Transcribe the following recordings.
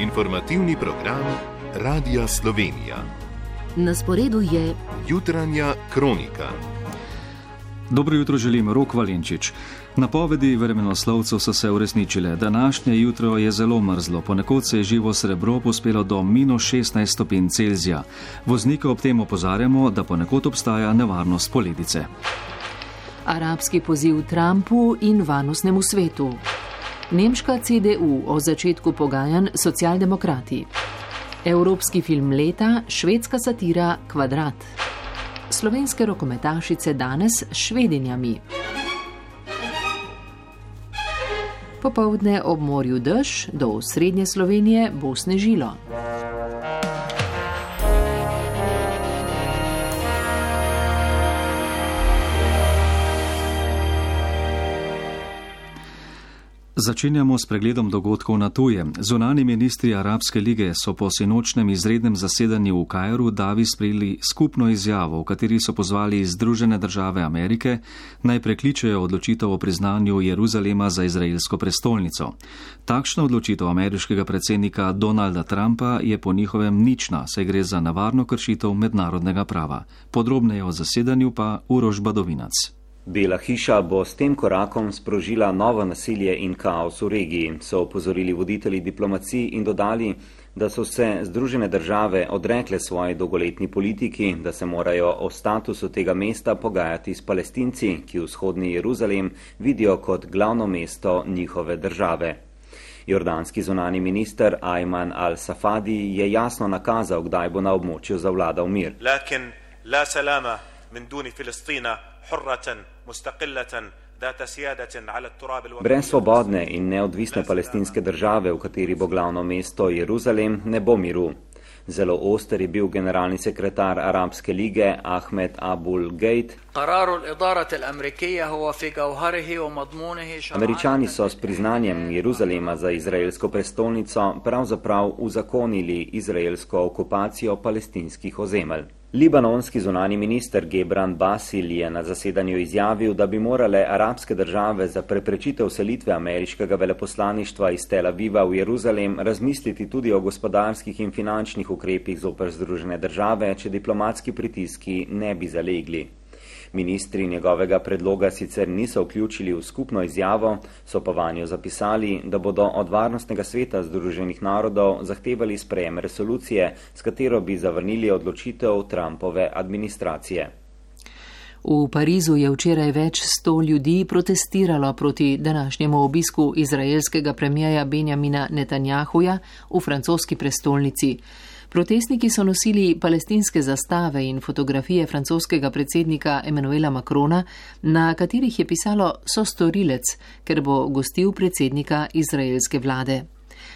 Informativni program Radia Slovenija. Na sporedu je Jutranja kronika. Dobro jutro želim, Rok Valenčič. Napovedi vremenoslovcev so se uresničile. Današnje jutro je zelo mrzlo, ponekod se je živo srebro pospelo do -16 stopinj Celzija. Voznike ob tem opozarjamo, da ponekod obstaja nevarnost poledice. arabski poziv Trumpu in varnostnemu svetu. Nemška CDU o začetku pogajanj socialdemokrati. Evropski film leta, švedska satira Kvadrat. Slovenske rokometašice danes s Švedinjami. Popoldne ob morju dež, do srednje Slovenije bo snežilo. Začenjamo s pregledom dogodkov na tujem. Zunani ministri Arabske lige so po sinočnem izrednem zasedanju v Kairu davi sprejeli skupno izjavo, v kateri so pozvali Združene države Amerike naj prekličejo odločitev o priznanju Jeruzalema za izraelsko prestolnico. Takšna odločitev ameriškega predsednika Donalda Trumpa je po njihovem nična, saj gre za nevarno kršitev mednarodnega prava. Podrobneje o zasedanju pa Uroš Badovinac. Bela hiša bo s tem korakom sprožila novo nasilje in kaos v regiji, so opozorili voditelji diplomacij in dodali, da so se Združene države odrekle svoji dolgoletni politiki, da se morajo o statusu tega mesta pogajati s Palestinci, ki vzhodni Jeruzalem vidijo kot glavno mesto njihove države. Jordanski zunani minister Ayman al-Safadi je jasno nakazal, kdaj bo na območju zavladal mir. Lakin la salama min duni Filistina hurratan mustaqillatan data siyadatin ala at-turab al-waqi. Brez svobodne in neodvisne palestinske države, v kateri bo glavno mesto Jeruzalem, ne bo miru. Zelo oster je bil generalni sekretar Arabske lige Ahmed Abul Gheit. Američani so s priznanjem Jeruzalema za izraelsko prestolnico pravzaprav uzakonili izraelsko okupacijo palestinskih ozemelj. Libanonski zunani minister Gebran Basil je na zasedanju izjavil, da bi morale arabske države za preprečitev selitve ameriškega veleposlaništva iz Tel Aviva v Jeruzalem razmisliti tudi o gospodarskih in finančnih ukrepih zoper Združene države, če diplomatski pritiski ne bi zalegli. Ministri njegovega predloga sicer niso vključili v skupno izjavo, so pa vanjo zapisali, da bodo od Varnostnega sveta Združenih narodov zahtevali sprejem resolucije, s katero bi zavrnili odločitev Trumpove administracije. V Parizu je včeraj več 100 ljudi protestiralo proti današnjemu obisku izraelskega premierja Benjamina Netanjahuja v francoski prestolnici. Protestniki so nosili palestinske zastave in fotografije francoskega predsednika Emmanuela Macrona, na katerih je pisalo sostorilec, ker bo gostil predsednika izraelske vlade.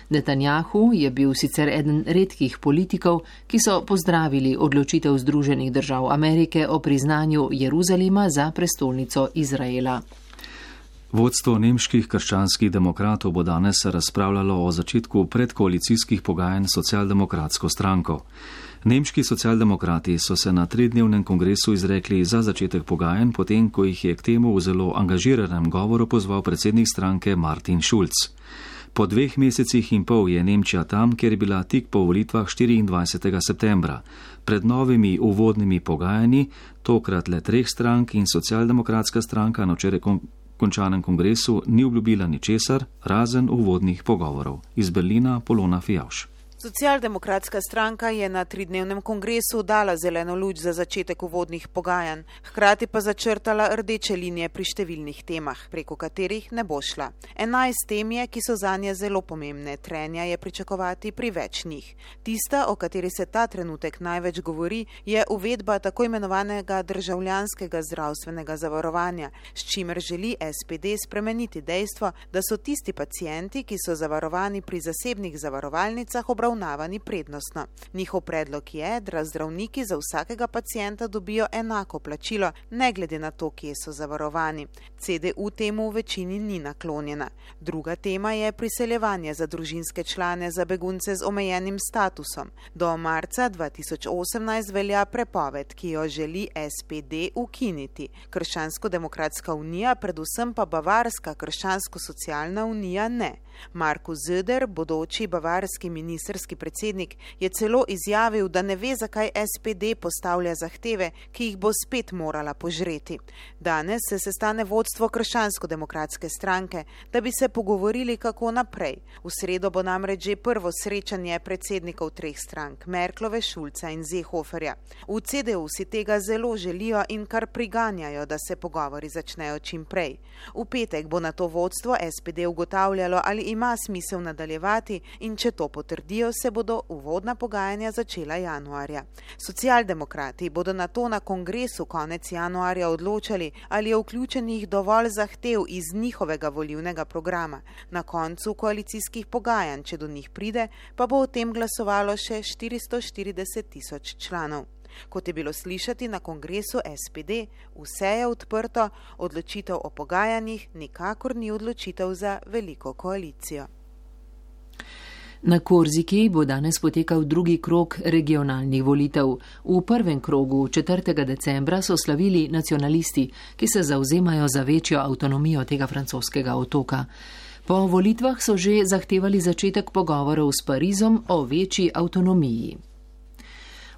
Netanjahu je bil sicer eden redkih politikov, ki so pozdravili odločitev Združenih držav Amerike o priznanju Jeruzalema za prestolnico Izraela. Vodstvo nemških krščanskih demokratov bo danes razpravljalo o začetku predkoalicijskih pogajanj s socialdemokratsko stranko. Nemški socialdemokrati so se na 3-dnevnem kongresu izrekli za začetek pogajanj, potem ko jih je k temu v zelo angažiranem govoru pozval predsednik stranke Martin Schulz. Po 2 mesecih in pol je Nemčija tam, kjer je bila tik po volitvah 24. septembra. Pred novimi uvodnimi pogajanji, tokrat le 3 strank in socialdemokratska stranka na včeraj končanem kongresu ni obljubila ničesar, razen uvodnih pogovorov. Iz Berlina Polona Fijavš. Socialdemokratska stranka je na 3-dnevnem kongresu dala zeleno luč za začetek uvodnih pogajanj, hkrati pa začrtala rdeče linije pri številnih temah, preko katerih ne bo šla. 11 tem je, ki so zanje zelo pomembne, trenja je pričakovati pri več njih. Tista, o kateri se ta trenutek največ govori, je uvedba tako imenovanega državljanskega zdravstvenega zavarovanja, s čimer želi SPD spremeniti dejstvo, da so tisti pacienti, ki so zavarovani pri zasebnih zavarovalnicah, obravnavani obravnavani prednostno. Njihov predlog je, da zdravniki za vsakega pacienta dobijo enako plačilo, ne glede na to, kje so zavarovani. CDU temu v večini ni naklonjena. Druga tema je priseljevanje za družinske člane za begunce z omejenim statusom. Do marca 2018 velja prepoved, ki jo želi SPD ukiniti. Krščansko-demokratska unija, predvsem pa Bavarska krščansko-socialna unija ne. Markus Söder, bodoči bavarski ministerski predsednik, je celo izjavil, da ne ve, zakaj SPD postavlja zahteve, ki jih bo spet morala požreti. Danes se sestane vodstvo Krščansko-demokratske stranke, da bi se pogovorili, kako naprej. V sredo bo namreč že prvo srečanje predsednikov treh strank, Merklove, Schulza in Seehoferja. V CDU si tega zelo želijo in kar priganjajo, da se pogovori začnejo čim prej. V petek bo na to vodstvo SPD ugotavljalo, ali ima smisel nadaljevati in če to potrdijo, se bodo uvodna pogajanja začela januarja. Socialdemokrati bodo na to na kongresu konec januarja odločali, ali je vključenih dovolj zahtev iz njihovega volilnega programa. Na koncu koalicijskih pogajanj, če do njih pride, pa bo o tem glasovalo še 440.000 članov. Kot je bilo slišati na kongresu SPD, vse je odprto, odločitev o pogajanjih nikakor ni odločitev za veliko koalicijo. Na Korziki bo danes potekal drugi krog regionalnih volitev. V prvem krogu 4. decembra so slavili nacionalisti, ki se zavzemajo za večjo avtonomijo tega francoskega otoka. Po volitvah so že zahtevali začetek pogovorov s Parizom o večji avtonomiji.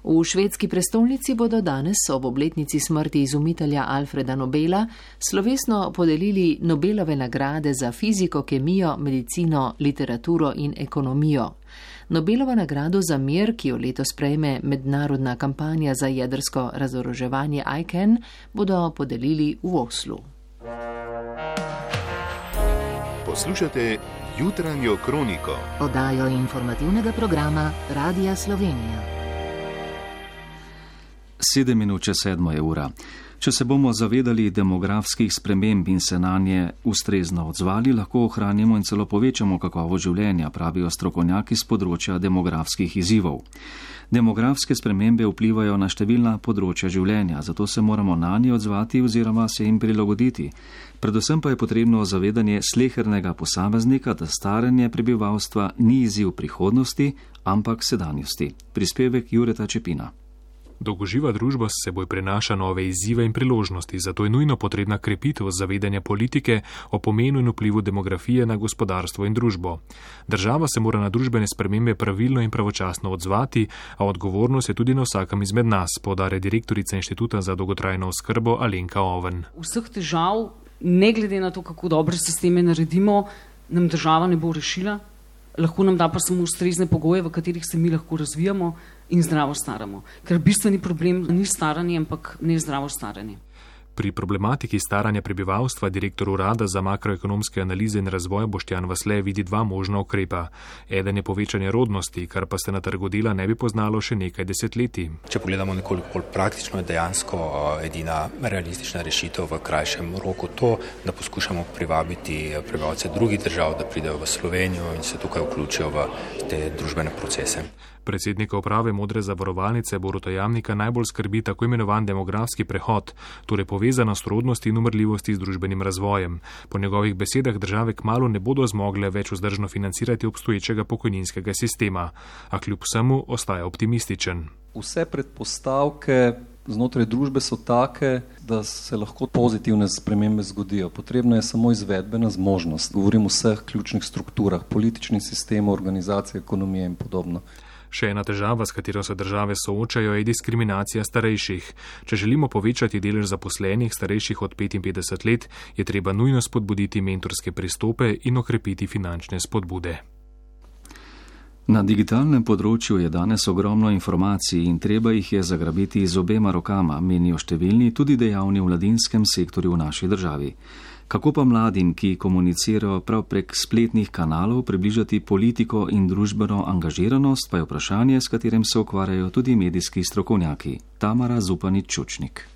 V švedski prestolnici bodo danes ob obletnici smrti izumitelja Alfreda Nobela slovesno podelili Nobelove nagrade za fiziko, kemijo, medicino, literaturo in ekonomijo. Nobelova nagrado za mir, ki jo letos prejme mednarodna kampanja za jedrsko razoroževanje ICAN, bodo podelili v Oslu. Poslušate jutranjo kroniko. Oddajo informativnega programa Radia Slovenija. 7:07 ura. Če se bomo zavedali demografskih sprememb in se na nje ustrezno odzvali, lahko ohranimo in celo povečamo kakovost življenja, pravijo strokovnjaki z področja demografskih izzivov. Demografske spremembe vplivajo na številna področja življenja, zato se moramo na nje odzvati oziroma se jim prilagoditi. Predvsem pa je potrebno zavedanje slehernega posameznika, da staranje prebivalstva ni izziv prihodnosti, ampak sedanjosti. Prispevek Jureta Čepina. Dolgoživa družba s seboj prenaša nove izzive in priložnosti, zato je nujno potrebna krepitev zavedanja politike o pomenu in vplivu demografije na gospodarstvo in družbo. Država se mora na družbene spremembe pravilno in pravočasno odzvati, a odgovornost je tudi na vsakem izmed nas, poudarja direktorica Inštituta za dolgotrajno oskrbo Alenka Oven. Vseh težav, ne glede na to, kako dobre sisteme naredimo, nam država ne bo rešila. Lahko nam da pa samo ustrezne pogoje, v katerih se mi lahko razvijamo in zdravo staramo. Ker bistveni problem ni staranje, ampak nezdravo staranje. Pri problematiki staranja prebivalstva direktor Urada za makroekonomske analize in razvoj Boštjan Vasle vidi dva možna ukrepa. Eden je povečanje rodnosti, kar pa se na trgu dela ne bi poznalo še nekaj desetletij. Če pogledamo nekoliko bolj praktično, je dejansko edina realistična rešitev v krajšem roku to, da poskušamo privabiti prebivalce drugih držav, da pridejo v Slovenijo in se tukaj vključijo v te družbene procese. Predsednika uprave Modre zavarovalnice Boruta Jamnika najbolj skrbi tako imenovan demografski prehod, torej povezanost rodnosti in umrljivosti z družbenim razvojem. Po njegovih besedah države kmalu ne bodo zmogle več vzdržno financirati obstoječega pokojninskega sistema, a kljub vsemu ostaja optimističen. Vse predpostavke znotraj družbe so take, da se lahko pozitivne spremembe zgodijo. Potrebna je samo izvedbena zmožnost. Govorim o vseh ključnih strukturah, političnih sistemov, organizacije, ekonomije in podobno. Še ena težava, s katero se države soočajo, je diskriminacija starejših. Če želimo povečati delež zaposlenih starejših od 55 let, je treba nujno spodbuditi mentorske pristope in okrepiti finančne spodbude. Na digitalnem področju je danes ogromno informacij in treba jih je zagrabiti z obema rokama, menijo številni, tudi dejavni v mladinskem sektorju v naši državi. Kako pa mladim, ki komunicirajo prav prek spletnih kanalov, približati politiko in družbeno angažiranost, pa je vprašanje, s katerim se ukvarjajo tudi medijski strokovnjaki. Tamara Zupanič-Čučnik.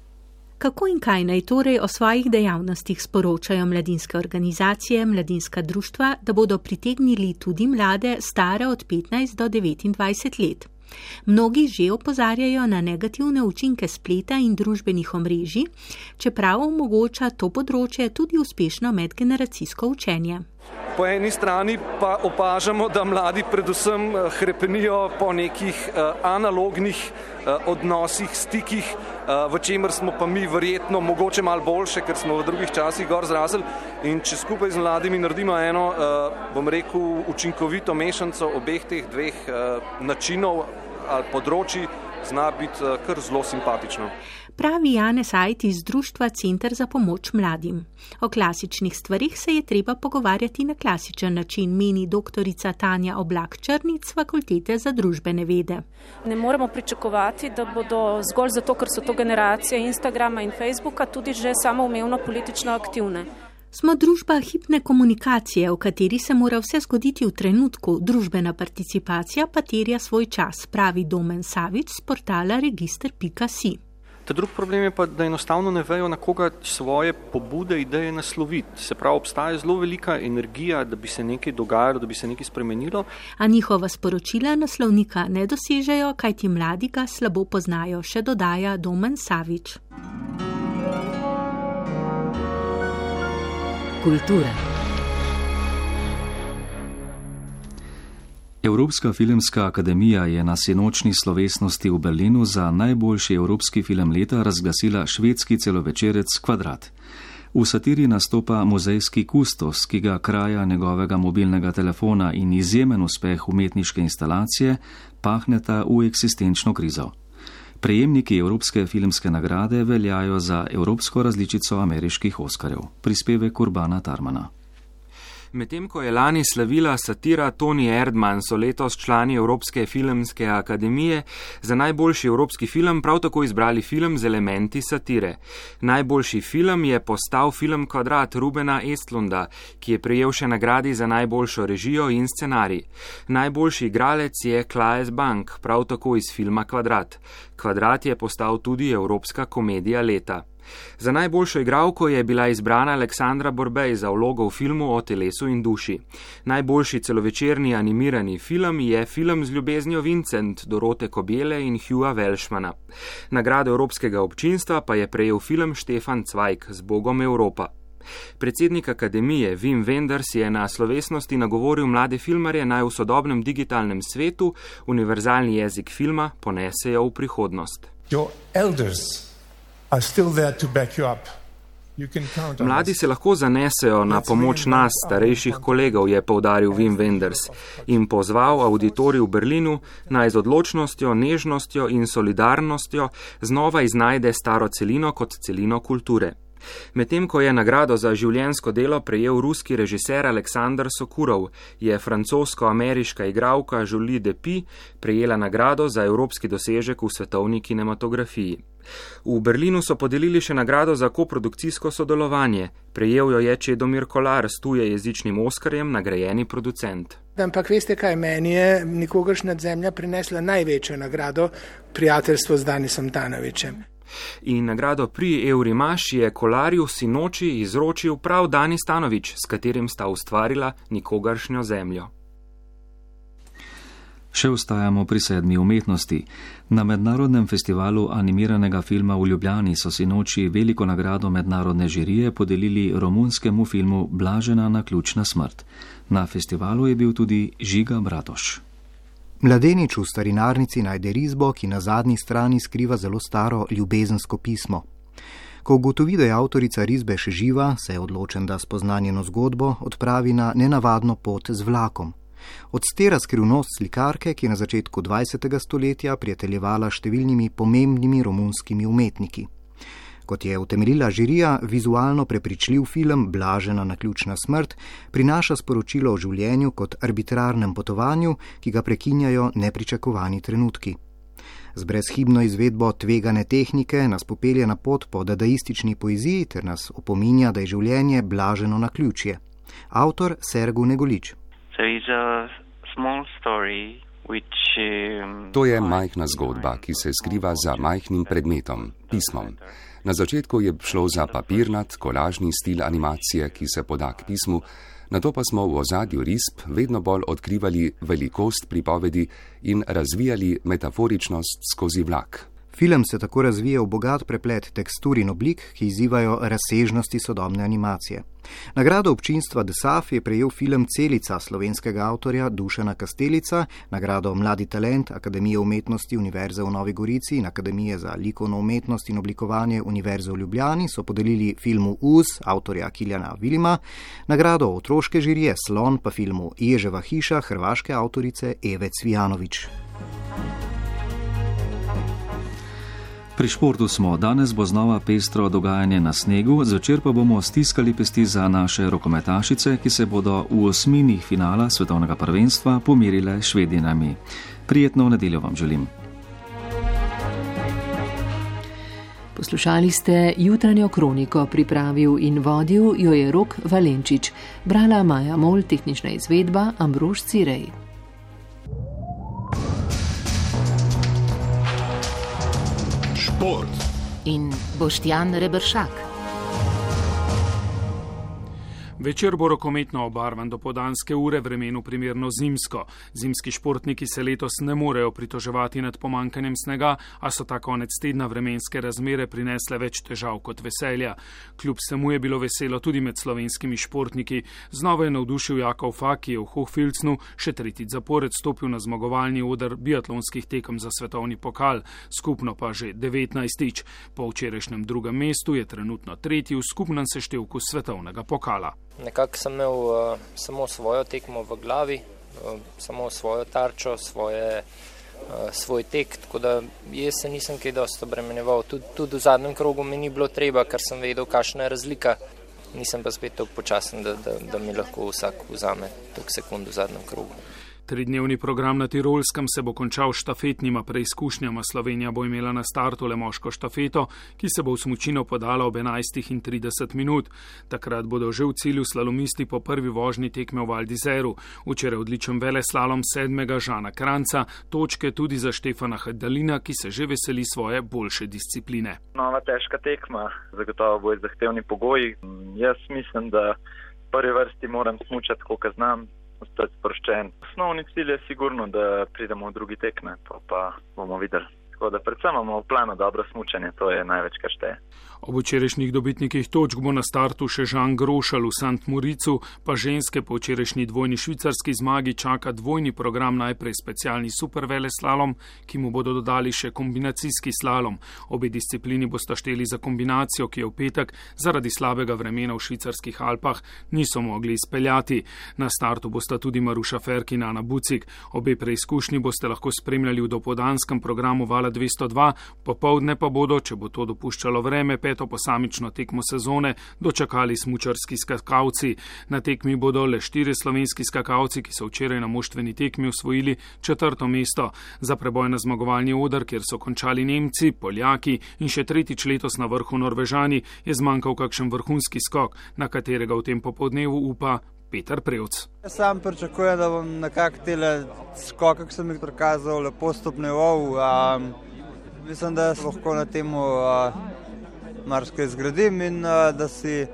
Kako in kaj naj torej o svojih dejavnostih sporočajo mladinske organizacije, mladinska društva, da bodo pritegnili tudi mlade stare od 15 do 29 let? Mnogi že opozarjajo na negativne učinke spleta in družbenih omrežij, čeprav omogoča to področje tudi uspešno medgeneracijsko učenje. Po eni strani pa opažamo, da mladi predvsem hrepenijo po nekih analognih odnosih, stikih, v čemer smo pa mi verjetno mogoče malo boljše, ker smo v drugih časih gor zrasli. In če skupaj z mladimi naredimo eno, bom rekel, učinkovito mešanco obeh teh dveh načinov ali področji, zna biti kar zelo simpatično. Pravi Janez Ajt iz društva Center za pomoč mladim. O klasičnih stvarih se je treba pogovarjati na klasičen način, meni doktorica Tanja Oblak-Črnic z Fakultete za družbene vede. Ne moremo pričakovati, da bodo zgolj zato, ker so to generacije Instagrama in Facebooka, tudi že samoumevno politično aktivne. Smo družba hipne komunikacije, v kateri se mora vse zgoditi v trenutku, družbena participacija pa terja svoj čas, pravi Domen Savič z portala register.si. Ta drug problem je pa, da enostavno ne vejo, na koga svoje pobude, ideje nasloviti. Se pravi, obstaja zelo velika energija, da bi se nekaj dogajalo, da bi se nekaj spremenilo. A njihova sporočila naslovnika ne dosežejo, kajti mladi ga slabo poznajo, še dodaja Domen Savič. Kultura. Evropska filmska akademija je na sinočni slovesnosti v Berlinu za najboljši evropski film leta razglasila švedski celovečerec Kvadrat. V satiri nastopa muzejski kustos, ki ga kraja njegovega mobilnega telefona in izjemen uspeh umetniške instalacije pahneta v eksistenčno krizo. Prejemniki Evropske filmske nagrade veljajo za evropsko različico ameriških Oskarjev. Prispevek Urbana Tarmana. Medtem ko je lani slavila satira Toni Erdmann, so letos člani Evropske filmske akademije za najboljši evropski film prav tako izbrali film z elementi satire. Najboljši film je postal film Kvadrat Rubena Estlunda, ki je prejel še nagradi za najboljšo režijo in scenarij. Najboljši igralec je Claes Bank, prav tako iz filma Kvadrat. Kvadrat je postal tudi evropska komedija leta. Za najboljšo igralko je bila izbrana Aleksandra Borbej za vlogo v filmu O telesu in duši. Najboljši celovečerni animirani film je film z ljubeznijo Vincent Dorote Kobele in Hughja Welshmana. Nagrado Evropskega občinstva pa je prejel film Štefan Cvajk z Bogom Evropa. Predsednik akademije Wim Wenders je na slovesnosti nagovoril mlade filmarje, naj v sodobnem digitalnem svetu univerzalni jezik filma ponesejo v prihodnost. Mladi se lahko zanesejo na pomoč nas, starejših kolegov, je poudaril Wim Wenders in pozval auditorij v Berlinu, naj z odločnostjo, nežnostjo in solidarnostjo znova iznajde staro celino kot celino kulture. Medtem ko je nagrado za življenjsko delo prejel ruski režiser Aleksandr Sokurov, je francosko-ameriška igralka Julie Depy prejela nagrado za evropski dosežek v svetovni kinematografiji. V Berlinu so podelili še nagrado za koprodukcijsko sodelovanje. Prejel jo je Čedomir Kolar s tujejezičnim Oskarjem, nagrajeni producent. Ampak veste kaj, meni je nikogaršnja zemlja prinesla največjo nagrado, prijateljstvo z Danisom Tanovićem. In nagrado pri Eurimaš je Kolarju sinoči izročil prav Danis Tanović, s katerim sta ustvarila nikogaršnjo zemljo. Še ostajamo pri 7. umetnosti. Na mednarodnem festivalu animiranega filma v Ljubljani so sinoči veliko nagrado mednarodne žirije podelili romunskemu filmu Blažena naključna smrt. Na festivalu je bil tudi Žiga Bratoš. Mladenič v starinarnici najde risbo, ki na zadnji strani skriva zelo staro ljubezensko pismo. Ko ugotovi, da je avtorica risbe še živa, se je odločen, da spozna njeno zgodbo, odpravi na nenavadno pot z vlakom. Odstira skrivnost slikarke, ki je na začetku 20. stoletja prijateljevala številnimi pomembnimi romunskimi umetniki. Kot je utemeljila žirija, vizualno prepričljiv film Blažena naključna smrt prinaša sporočilo o življenju kot arbitrarnem potovanju, ki ga prekinjajo nepričakovani trenutki. Z brezhibno izvedbo tvegane tehnike nas popelje na pot po dadaistični poeziji ter nas opominja, da je življenje blaženo naključje. Avtor Sergu Negolič. To je majhna zgodba, ki se skriva za majhnim predmetom, pismom. Na začetku je šlo za papirnat, kolažni stil animacije, ki se poda k pismu, nato pa smo v ozadju risb vedno bolj odkrivali velikost pripovedi in razvijali metaforičnost skozi vlak. Film se tako razvije v bogat preplet tekstur in oblik, ki izzivajo razsežnosti sodobne animacije. Nagrado občinstva DSAF je prejel film Celica slovenskega avtorja Dušana Kastelica, nagrado Mladi talent Akademije umetnosti Univerze v Novi Gorici in Akademije za likovno umetnost in oblikovanje Univerze v Ljubljani so podelili filmu Uz avtorja Kiljana Vilima, nagrado otroške žirije Slon pa filmu Ježeva hiša hrvaške avtorice Eve Cvijanović. Pri športu smo, danes bo znova pestro dogajanje na snegu, zvečer pa bomo stiskali pesti za naše rokometašice, ki se bodo v osmini finala svetovnega prvenstva pomirile s Švedinami. Prijetno nedeljo vam želim. Poslušali ste jutranjo kroniko, pripravil in vodil jo je Rok Valenčič, brala Maja Mol, tehnična izvedba Ambrož Cirej. Šport in Boštjan Reberšak. Večer bo rokometno obarvan do podanske ure, vremenu primerno zimsko. Zimski športniki se letos ne morejo pritoževati nad pomankanjem snega, a so ta konec tedna vremenske razmere prinesle več težav kot veselja. Kljub vsemu je bilo veselo tudi med slovenskimi športniki. Znova je navdušil Jakov Fak, ki je v Hochfilznu še tretjič zapored stopil na zmagovalni oder biatlonskih tekem za svetovni pokal, skupno pa že 19. Po včerajšnjem drugem mestu je trenutno tretji v skupnem seštevku svetovnega pokala. Nekako sem imel samo svojo tekmo v glavi, samo svojo tarčo, svoj tek, tako da jaz se nisem kaj dosti obremenjeval. Tudi v zadnjem krogu mi ni bilo treba, ker sem vedel, kakšna je razlika. Nisem pa spet toliko počasen, da mi lahko vsak vzame toliko sekund v zadnjem krogu. Tridnevni program na Tirolskem se bo končal s štafetnima preizkušnjama. Slovenija bo imela na startu le moško štafeto, ki se bo v smučino podala ob 11:30. Takrat bodo že v cilju slalomisti po prvi vožnji tekme v Val d'Izeru. Včeraj odličen veleslalom 7. Žana Kranca, točke tudi za Štefana Hedalina, ki se že veseli svoje boljše discipline. Nova težka tekma, zagotovo bo zahtevni pogoji. Jaz mislim, da v prvi vrsti moram smučati, koliko znam. Ostati sproščen. Osnovni cilj je sigurno, da pridemo v drugi tekme, pa bomo videli. Tako da predvsem imamo v planu dobro smučanje, to je največ, kar šteje. Ob včerajšnjih dobitnikih točk bo na startu še Žan Grošal v Sant Moricu, pa ženske po včerajšnji dvojni švicarski zmagi čaka dvojni program, najprej specialni superveleslalom, ki mu bodo dodali še kombinacijski slalom. Obe disciplini bosta šteli za kombinacijo, ki je v petek zaradi slabega vremena v švicarskih Alpah niso mogli izpeljati. Na startu bosta tudi Maruša Ferk in Ana Bucik. Obe preizkušnji boste lahko spremljali v dopoldanskem programu Vala 202, popoldne pa bodo, če bo to dopuščalo vreme, peto posamično tekmo sezone dočakali smučarski skakalci. Na tekmi bodo le 4 slovenski skakalci, ki so včeraj na moštveni tekmi osvojili 4. mesto. Za preboj na zmagovalni oder, kjer so končali Nemci, Poljaki in še tretjič letos na vrhu Norvežani, je zmanjkal kakšen vrhunski skok, na katerega v tem popoldnevu upa Peter Prevc. Jaz sam pričakujem, da bom nekako tele skoke, ki sem jih prikazal, lepo stopnjeval. Mislim, da lahko na temu marsikaj zgradim in da si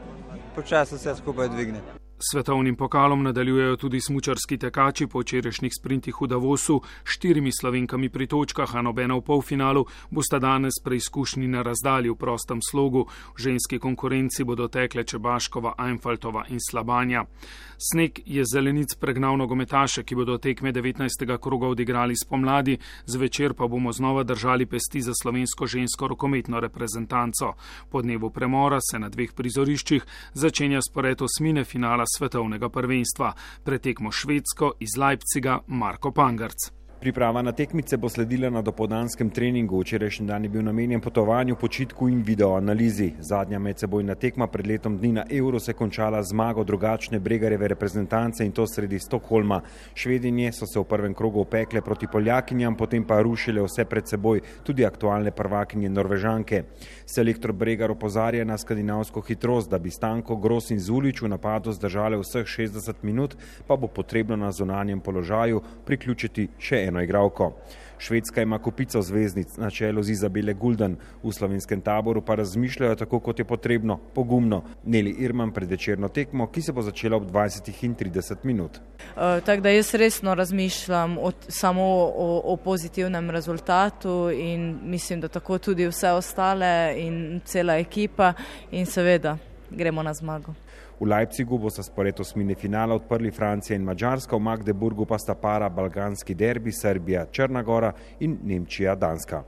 počasi vse skupaj dvigne. Svetovnim pokalom nadaljujejo tudi smučarski tekači po včerajšnjih sprintih v Davosu, 4 Slovenkami pri točkah, a nobena v polfinalu, bosta danes preizkušnji na razdalji v prostem slogu. V ženski konkurenci bodo tekle Čebaškova, Einfaltova in Slabanja. Sneg je zelenic pregnal nogometaše, ki bodo tekme 19. kroga odigrali spomladi, zvečer pa bomo znova držali pesti za slovensko žensko rokometno reprezentanco. Po dnevu premora se na 2 prizoriščih začenja spored osmine finala svetovnega prvenstva. Pretekmo Švedsko iz Leipziga Marko Pangarc. Priprava na tekmice bo sledila na dopoldanskem treningu. Včerajšnji dan je bil namenjen potovanju, počitku in videoanalizi. Zadnja medsebojna tekma pred letom dni na Euro se končala zmago drugačne Bregarjeve reprezentance in to sredi Stokholma. Švedinje so se v prvem krogu opekle proti Poljakinjam, potem pa rušile vse pred seboj, tudi aktualne prvakinje Norvežanke. Selektor Bregar opozarja na skandinavsko hitrost, da bi Stanko, Gros in Zulič v napadu zdržale vseh 60 minut, pa bo potrebno na zunanjem položaju priključiti še eno igralko. Švedska ima kopico zvezdnic na čelu z Izabele Gulden, v slovenskem taboru pa razmišljajo tako, kot je potrebno, pogumno. Neli Irman pred večerno tekmo, ki se bo začela ob 20:30. Tako da jaz resno razmišljam samo o pozitivnem rezultatu in mislim, da tako tudi vse ostale in cela ekipa in seveda gremo na zmago. V Leipzigu bo se spored osmine finala odprli Francija in Madžarska, v Magdeburgu pa sta para balkanski derbi Srbija, Črna Gora in Nemčija, Danska.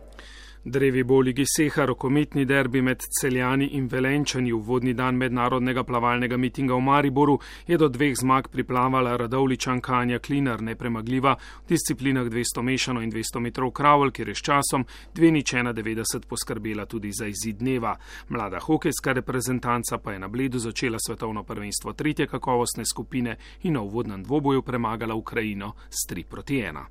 Drevi bo v Ligi Seha rokometni derbi med Celjani in Velenčani. Uvodni dan mednarodnega plavalnega mitinga v Mariboru je do 2 zmag priplavala Radovličanka Anja Klinar, nepremagljiva v disciplinah 200 mešano in 200 metrov kravl, kjer je s časom 2:91 poskrbela tudi za izid dneva. Mlada hokejska reprezentanca pa je na Bledu začela svetovno prvenstvo 3. kakovostne skupine in na uvodnem dvoboju premagala Ukrajino s 3:1.